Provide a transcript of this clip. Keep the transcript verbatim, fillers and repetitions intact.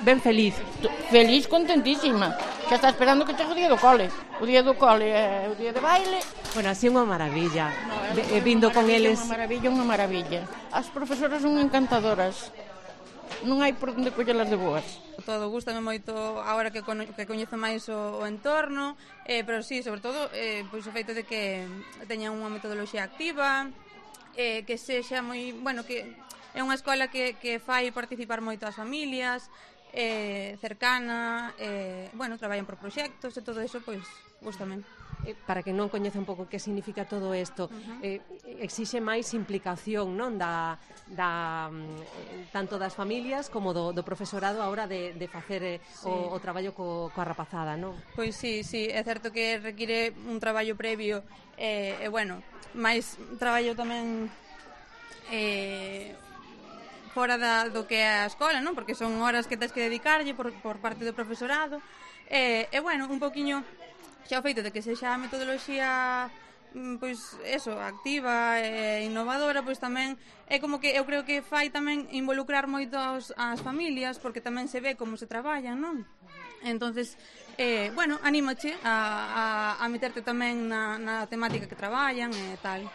Ben feliz. Feliz, contentísima. Xa está esperando que chegue o día do cole. O día do cole é o día de baile. Bueno, así é unha maravilla. No, é vindo con eles. Unha maravilla, unha maravilla. As profesoras son encantadoras. Non hai por onde collelas de boas. Todo, gústame moito agora que, cono, que coñezo máis o, o entorno, eh, pero sí, sobre todo, eh, pois o feito de que teña unha metodoloxía activa, eh, que sexa moi, bueno, que é unha escola que, que fai participar moito as familias, eh, cercana, eh, bueno, traballan por proxectos e todo eso, pois, gústame. Eh, para que non coñeza un pouco que significa todo isto, uh-huh. eh, exixe máis implicación, non, da, da tanto das familias como do, do profesorado a hora de, de facer eh, sí. o, o traballo co, coa rapazada, non? Pois sí, sí, é certo que require un traballo previo e, eh, eh, bueno, máis traballo tamén eh, fora da, do que é a escola, non? Porque son horas que tens que dedicarlle por, por parte do profesorado e, eh, eh, bueno, un poquinho xa o feito de que sexa a metodoloxía pois eso, activa e innovadora, pois tamén é como que eu creo que fai tamén involucrar moito as, as familias, porque tamén se ve como se traballan, non? Entonces, eh, bueno, anímoche a, a, a meterte tamén na, na temática que traballan e tal.